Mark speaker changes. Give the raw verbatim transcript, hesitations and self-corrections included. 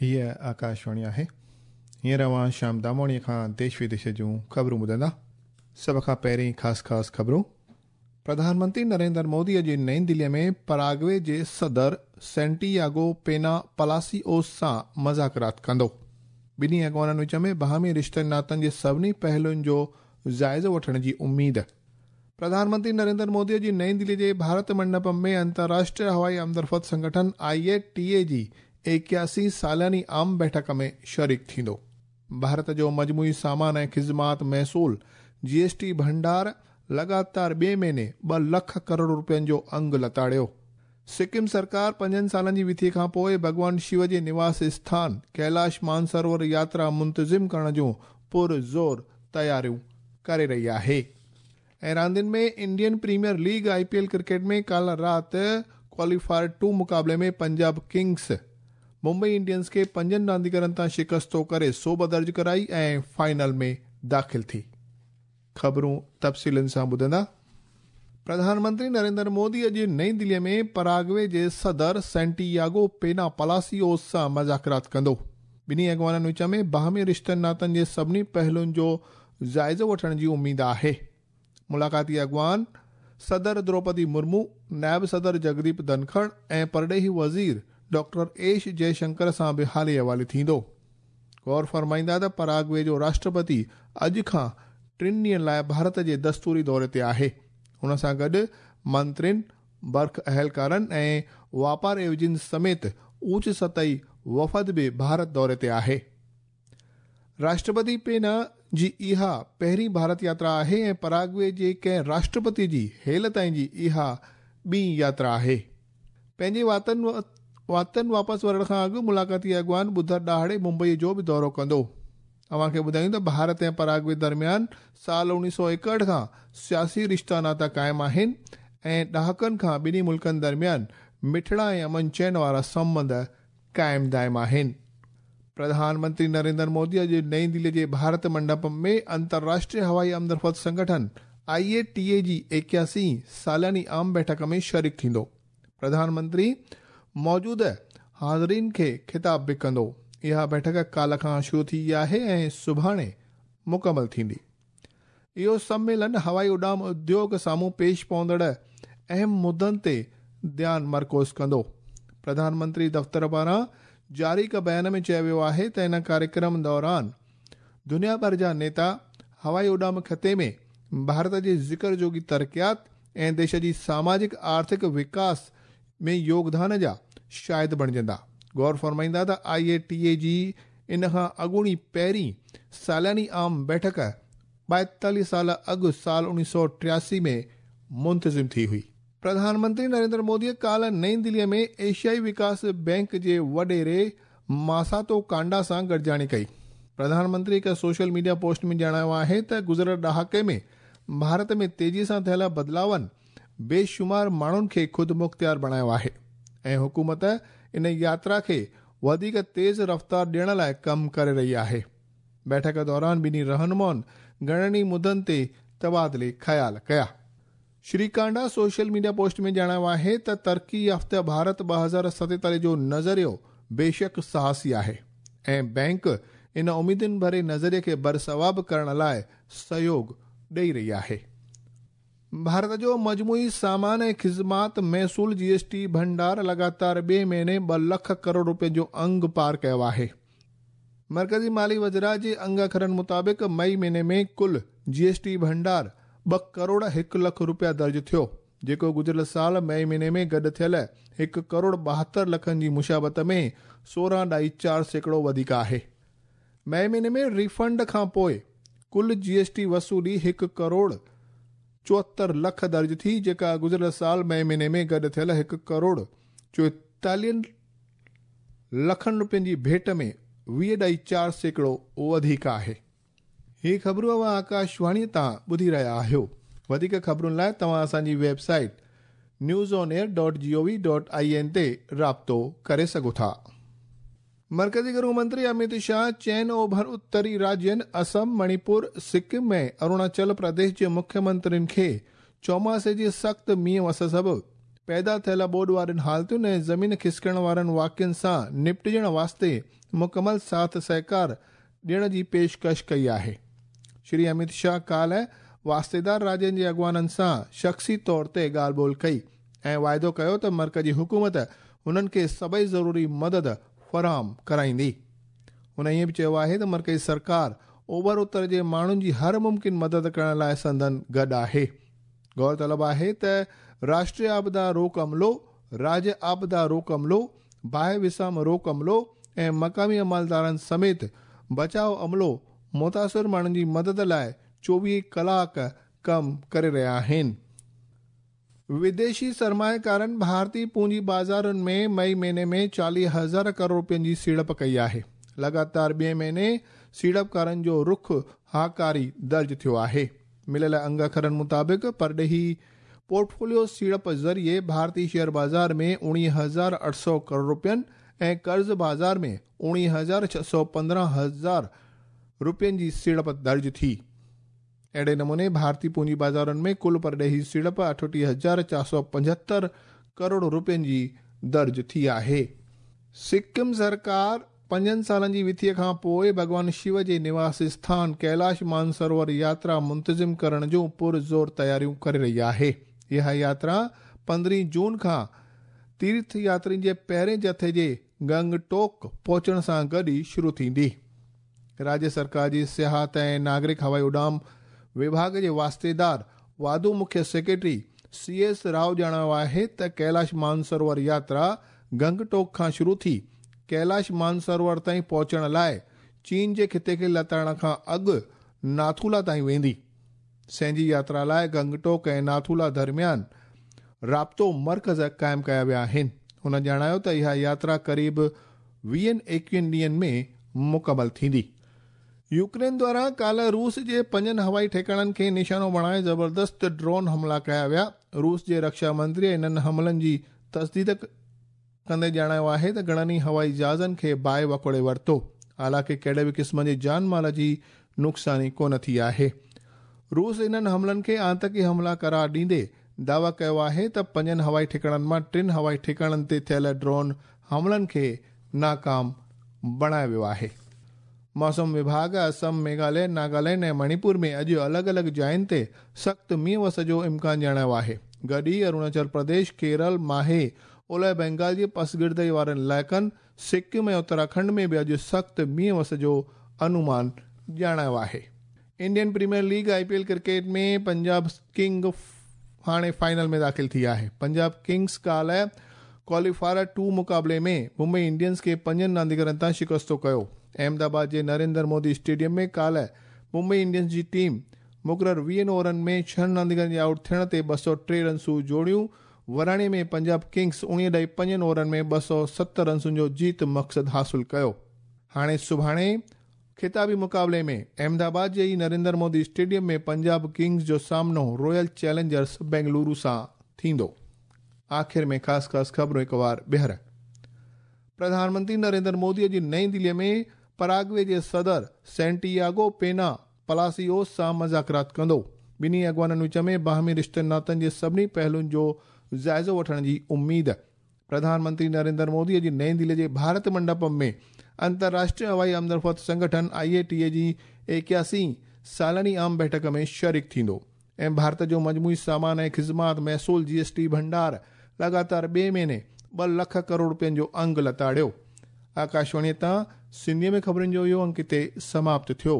Speaker 1: हीअ आकाशवाणी आहे। हींअर अव्हां श्याम दामोणीअ खां देश विदेश जूं ख़बरूं ॿुधंदा। सभ खां पहिरीं ख़ासि ख़ासि ख़बरूं। प्रधानमंत्री नरेंद्र मोदी अॼु नई दिल्लीअ में पराग्वे जे सदर सेंटियागो पेना पलासियोस सां मज़ाकरात कंदो। ॿिन्ही अॻवाननि विच में बाहमी रिश्तनि नातनि जे सभिनी पहलुनि जो जाइज़ो वठण जी उम्मीद। प्रधानमंत्री नरेंद्र मोदी अॼु नई दिल्ली जे भारत मंडपम में अंतर्राष्ट्रीय हवाई आमदरफ़्त संगठन आई ए टी ए जी एकासी सालानी आम बैठक में शरीक थींदो। भारत जो मजमूई सामान ऐं ख़िज़मात महसूल जी एस टी भंडार लगातार ॿिए महीने ॿ लख करोड़ रुपयनि जो अंग लताड़ियो। सिक्किम सरकार पंजनि सालनि जी विथी खां पोइ भॻवान शिव जे निवास स्थान कैलाश मानसरोवर यात्रा मुंतज़िम करण जूं पुरज़ोर तयारियूं करे रही आहे। ऐं रांदियुनि में Indian Premier League I P L cricket में काल्ह राति क्वालीफायर टू मुक़ाबले में पंजाब किंग्स मुंबई इंडियंस खे पंजनि रांदीगरनि तां शिकस्तो करे सोब दर्ज कराई ऐं फाइनल में दाख़िल थी। ख़बरूं तफ़सीलनि सां ॿुधंदा। प्रधानमंत्री नरेंद्र मोदी अॼु नई दिल्लीअ में पराग्वे जे सदर सेंटियागो पेना पलासियोस सां मज़ाकरात कंदो। ॿिन्ही अॻवाननि विच में बाहमी रिश्तनि नातनि जे सभिनी पहलुनि जो जाइज़ो वठण जी उम्मीद आहे। मुलाक़ाती अॻवान सदर द्रौपदी मुर्मू, नायब सदर जगदीप धनखड़ ऐं परॾेही वज़ीर डॉक्टर एश जयशंकर सां बि हाली हवाले थींदो। गौर फरमाईंदा त पराग्वे जो राष्ट्रपति अॼु खां टिनि ॾींहनि लाइ भारत जे दस्तूरी दौरे ते आहे। हुन सां गॾु मंत्रियुनि, बर्ख अहलकारनि ऐं वापार एवजिन समेत ऊच सतही वफ़द बि भारत दौरे ते आहे। राष्ट्रपति पेना जी इहा पहिरीं भारत यात्रा आहे ऐं पराग्वे जे कंहिं राष्ट्रपति जी हेल ताईं जी इहा ॿी यात्रा आहे। पंहिंजे वातनि वातनि वापसि वरणु खां अॻु मुलाक़ाती अॻवान ॿुधर ॾिहाड़े मुंबई जो बि दौरो कंदो। अव्हांखे ॿुधायूं त भारत ऐं पराग्वे दरमियान साल उणिवीह सौ एकहठि खां सियासी रिश्ता नाता क़ाइमु आहिनि ऐं ॾहाकनि खां ॿिन्ही मुल्कनि दरमियान मिठड़ा ऐं अमन चैन वारा संबंध क़ाइमु दाइम आहिनि। प्रधानमंत्री नरेंद्र मोदी अॼु नई दिल्ली जे भारत मंडपम में अंतर्राष्ट्रीय हवाई आमदरफ़्त संगठन आई ए टी ए जी एकासी सालानी आम बैठक में शरीक थींदो। प्रधानमंत्री मौजूद हाज़रीन खे ख़िताब बि कंदो। इहा बैठक काल्ह खां शुरू थी आहे ऐं सुभाणे मुकमल थींदी। इहो सम्मेलन हवाई उॾाम उद्योग साम्हूं पेश पवंदड़ अहम मुद्दनि ते ध्यानु मरकूज़ कंदो। प्रधानमंत्री दफ़्तर पारां जारी हिकु बयान में चयो वियो आहे त इन कार्यक्रम दौरान दुनिया भर जा नेता हवाई उॾाम ख़िते में भारत जे ज़िक्र जोगी तरक़ियात ऐं देश जी सामाजिक आर्थिक विकास में योगदान जा शाहिद बणिजंदा। गौर फरमाईंदा त आई ए टी ए जी इन खां अॻूणी पहिरीं सालानी आम बैठक ॿाएतालीह साल अॻु साल उणिवीह सौ टियासी में मुंतज़िम थी हुई। प्रधानमंत्री नरेंद्र मोदीअ काल्ह नई दिल्लीअ में एशियाई विकास बैंक जे वॾेरे मासातो कांडा सां गॾिजाणी कई। प्रधानमंत्री हिकु सोशल मीडिया पोस्ट में ॼाणायो आहे त गुज़िरियल ॾहाके में भारत में तेज़ीअ सां थियल बदिलावनि बेशुमार माण्हुनि खे ख़ुदि मुख़्तियार बणायो आहे ऐं हुकूमत इन यात्रा खे वधीक तेज़ रफ़्तार ॾियण लाइ कमु करे रही आहे। बैठक दौरान ॿिन्ही रहनुमाउनि घणनि ई मुद्दनि ते तबादिले ख़्याल कया। Shri Kanda social media post में ॼाणायो आहे त तरक़ी याफ़्ता भारत ॿ हज़ार सतेतालीह जो नज़रियो बेशक साहसी आहे ऐं बैंक इन उम्मीदुनि भरे नज़रिए खे बरसवाब करण लाइ सहयोग ॾेई रही आहे। भारत जो मजमूई सामान ऐं ख़िज़मात महसूल जी एस टी भंडार लगातार ॿिए महीने ॿ लख करोड़ रुपयनि जो अंग पार कयो आहे। मरकज़ी माली वज़रा जे अंग अखरनि मुताबिक़ मई महीने में कुल जी एस टी भंडार ॿ करोड़ हिकु लख रुपया दर्ज थियो, जेको गुज़िरियल साल मई महीने में गॾु थियल हिकु करोड़ ॿाहतरि लखनि जी मुशाबत में सोरहं ॾाई चारि सैकड़ो वधीक आहे। मई महीने में रिफंड खां पोइ कुल जी एस टी वसूली हिकु करोड़ चोहतरि लख दर्ज थी, जेका गुज़िरियल साल मई महीने में गॾु थियल हिकु करोड़ चोएतालीहनि लखनि रुपयनि जी भेट में वीह ॾाई चारि सैकड़ो वधीक आहे। हीअ ख़बरूं अव्हां आकाशवाणी तां ॿुधी रहिया आहियो। वधीक ख़बरुनि लाइ तव्हां असांजी website news on air dot G O V dot I N ते राब्तो करे सघो था। मरकज़ी गृह मंत्री अमित शाह चइनि ओभर उत्तरी राज्यनि असम, मणिपुर, सिक्किम ऐं अरुणाचल प्रदेश जे मुख्यमंत्रियुनि खे चौमासे जे सख़्तु मींहुं वस सबबु پيدا ٿيل ٻوڏ وارين حالتن ۽ زمين کسڪڻ وارن واقعن سان نپٽجڻ واسطي مڪمل ساٿ سهڪار ڏيڻ جي پيشڪش ڪئي آهي. شري امت شاهه ڪالهه واسطيدار راجين جي اڳواڻن سان شخصي طور تي ڳالهه ٻولهه ڪئي ۽ واعدو ڪيو ته مرڪزي حڪومت هنن کي سڀئي ضروري مدد فراهم ڪرائيندي. هن ائين به چيو آهي ته مرڪزي سرڪار اوڀر اتر جي ماڻهن جي هر ممڪن مدد ڪرڻ لاءِ سندن گڏ آهي. غور طلب آهي ته راشٽريه آپدا روڪ عملو، راجيه آپدا روڪ عملو، باهه وسام روڪ عملو ۽ مقامي عملدارن سميت بچاءُ عملو متاثر ماڻهن جي مدد لاءِ چوويهه ڪلاڪ ڪم ڪري رهيا آهن. وديشي سرمائيڪارن ڀارتي پونجي بازارن ۾ مئي مهيني ۾ چاليهه هزار ڪروڙ رپين جي سيڙپ ڪئي آهي. لڳاتار ٻئي مهيني سيڙپڪارن جو رخ هاڪاري درج ٿيو آهي. مليل انگ اکرن مطابق پرڏيهي پورٽفوليو سيڙپ ذريعي ڀارتي شيئر بازار ۾ اڻويهه هزار اٺ سؤ ڪروڙ رپين ۽ قرض بازار ۾ اڻويهه هزار ڇهه سؤ پندرهن هزار رپين جي سيڙپ درج ٿي. اهڙي نموني ڀارتي پونجي بازارن ۾ ڪل پرڏيهي سيڙپ اٺٽيهه هزار چار سؤ پنجهتر ڪروڙ رپين جي درج ٿي آهي. سڪم سرڪار پنجن سالن جي وٿيءَ کان پوءِ ڀڳوان شو جي نواس اسٿان ڪيلاش مانسروور ياترا منتظم ڪرڻ جون پرزور تياريون ڪري رهي آهي. اها ياترا پندرهين جون کان تيرٿ ياترين جي پهرين جٿي جي گنگٽوڪ پهچڻ سان گڏ ئي شروع ٿيندي. راجيه سرڪار جي سياحت ۽ ناگرڪ هوائي اڏام وڀاڳ جي واسطيدار واڌو مکيه سيڪريٽري سي ايس رائو ڄاڻايو آهي ته ڪيلاش مانسروور ياترا گنگٽوڪ کان شروع ٿي ڪيلاش مانسروور تائين پهچڻ لاءِ چين جي خطي کي لتاڙڻ کان اڳ ناٿولا تائين ويندي. سينجي ياترا لاءِ گنگٽوڪ ۽ ناٿولا درميان رابطو مرڪز قائم ڪيا ويا آهن. هن ڄاڻايو ته اها ياترا قريب ويهن ايڪويهن ڏينهن ۾ مڪمل ٿيندي. يوڪرين دواران ڪالهه روس جي پنجن هوائي ٺڪاڻن کي نشانو بڻائي زبردست ڊرون حملا ڪيا ويا. روس جي رڪشا منتري انهن حملن جي تصديق ڪندي ڄاڻايو آهي ته گهڻن ئي هوائي جهازن کي باهه وڪوڙي ورتو، حالانڪه ڪهڙي به قسم جي جان مال جي نقصاني ڪونه ٿي آهي. روس انهن حملن کي آتنڪي حملا قرار ڏيندي دعويٰ ڪيو آهي ته پنجن هوائي ٺڪاڻن مان ٽن هوائي ٺڪاڻن تي ٿيل ڊرون حملن کي ناڪام بڻايو ويو آهي. موسم وڀاڳ اسم، ميگهاليه، ناگالينڊ ۽ مڻيپور ۾ اڄ الڳ الڳ جاين تي سخت مينهن وس جو امڪان ڄاڻايو آهي. گڏ ئي اروناچل پرديش، ڪيرل، ماهي، اولهه بينگال جي پسگردائي وارن علائقن، سڪم ۽ اتراکنڊ ۾ به اڄ سخت مينهن وس جو انومان ڄاڻايو آهي. Indian Premier League I P L cricket ۾ Punjab King هاڻي فائنل ۾ داخل ٿي آهي. پنجاب ڪنگس ڪالهه ڪواليفائر ٽو مقابلي ۾ ممبئي انڊينز کي پنجن رانديگرن تان شڪستو ڪيو. احمدآباد جي نريندر مودي اسٽيڊيم ۾ ڪالهه ممبئي انڊينز جي ٽيم مقرر ويهن اوورن ۾ ڇهن رانديگرن جي آئوٽ ٿيڻ تي ٻه سؤ ٽي رنسون جوڙيون. وراڻي ۾ پنجاب ڪنگس اڻويهه ڏهه پنجن اوورن ۾ ٻه سؤ ست رنسن جو جيت مقصد حاصل ڪيو. هاڻي سڀاڻي خطابي مقابلي ۾ احمدآباد جي ئي نريندر مودي اسٽيڊيم ۾ پنجاب ڪنگس جو سامنو رائل چئلينجرس بينگلورو سان ٿيندو. آخر ۾ خاص خاص خبرون هڪ وار ٻيهر. پرڌان منتري نريندر مودي جي نئين دليءَ ۾ پراگوي جي صدر سينٽياگو پينا پلاسيوس سان مذاڪرات ڪندو. ٻنهي اڳواڻن وچ ۾ باهمي رشتن ناتن جي سڀني پهلوئن جو جائزو وٺڻ جي اميد. پرڌان منتري نريندر مودي جي نئين دلي جي ڀارت منڊپم ۾ انترراشٽريه هوائي آمدرفت سنگٺن آئي اي ٽي اي جي ايڪياسي سالاني عام بيٺڪ ۾ شريڪ ٿيندو. ۽ ڀارت جو مجموعي سامان ۽ خدمات محصول جي ايس ٽي ڀنڊار لڳاتار ٻئي مهيني ٻه لک ڪروڙ رپين جو انگ لتاڙيو. آڪاشواڻيءَ تان سنڌيءَ ۾ خبرن جو اهو انگ هتي سماپت ٿيو.